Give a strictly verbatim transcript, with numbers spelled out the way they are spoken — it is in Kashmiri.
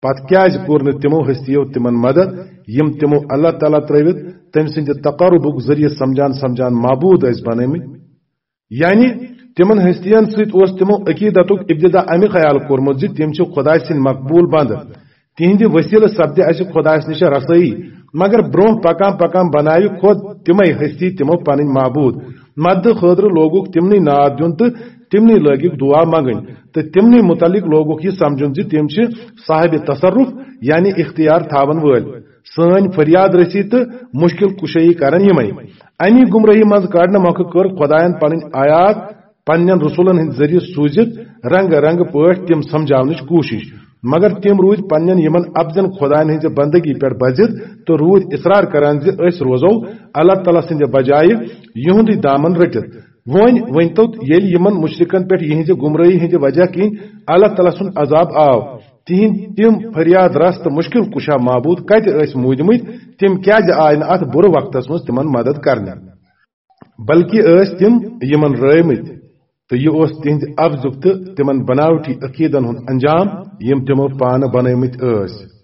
پتہٕ کیازِ کوٚر نہٕ تِمو ہستیو تِمن مدد، یِم تِمو اللہ تعالیٰ ترٲوِتھ تٔمۍ سٕنٛدِ تقربُک ذٔریعہٕ سمجھان سمجھان معبوٗد ٲسۍ بنٲومٕتۍ؟ یعنی تِمن ہستین سۭتۍ اوس تِمو عقیدتُک ابتدا امہِ خیال کوٚرمُت زِ تِم چھِ خدایہِ سٕنٛدۍ مقبوٗل بندٕ، تِہنٛدِ وسیلہٕ سپدِ اسہِ خدایس نِش رسٲیی۔ مگر برونٛہہ پکان پکان بناوِ خود تِمے ہستی تِمو پنٕنۍ معبوٗد۔ مددٕ خٲطرٕ لوگُکھ تِمنٕے ناد دیُن تہٕ تِمنٕے لٲگِکھ دُعا منگٕنۍ، تہٕ تِمنٕے مُتعلق لوگُکھ یہِ سمجھُن زِ تِم چھِ صاحب تصرف، یعنی اختیار تھاون وٲلۍ۔ سٲنۍ فریاد رسی تہٕ مشکل کشٲیی کرن یِمے۔ امی گمراہی منٛز کڑنہٕ مۄکھٕ کٔر خدایَن پنٕنۍ آیات پننٮ۪ن رسولن ہٕنٛدۍ ذٔریعہٕ سوٗزِتھ رنگہٕ رنگہٕ پٲٹھۍ تِم سمجھاونٕچ کوٗشش، مگر تِم روٗدۍ پننٮ۪ن یِمن اپزن خدایَن ہٕنٛزِ بندگی پٮ۪ٹھ بزِد تہٕ روٗدۍ اصرار کران زِ أسۍ روزو اللہ تعالیٰ سٕنٛدِ بجایہِ یِہُنٛدُے دامن رٔٹِتھ۔ وۄنۍ ؤنۍتو، ییٚلہِ یِمن مُشرِکن پٮ۪ٹھ یِہٕنٛزِ گمرٲہی ہٕنٛدِ وجہ کِنۍ اللہ تعالیٰ سُنٛد عذاب آو، تِہِنٛدۍ تِم فریاد رس تہٕ مُشکِل کُشا معبوٗد کتہِ ٲسۍ موٗدمٕتۍ؟ تِم کیازِ آے نہٕ اتھ بُرٕ وقتس منٛز تِمن مدد کرنہِ؟ بلکہِ ٲسۍ تِم یِمن رٲومٕتۍ، تہٕ یہِ اوس تِہنٛدِ عبزُک تہٕ تِمن بناوٹی عقیدن ہُنٛد انجام، یِم تِمو پانہٕ بنٲومٕتۍ ٲسۍ۔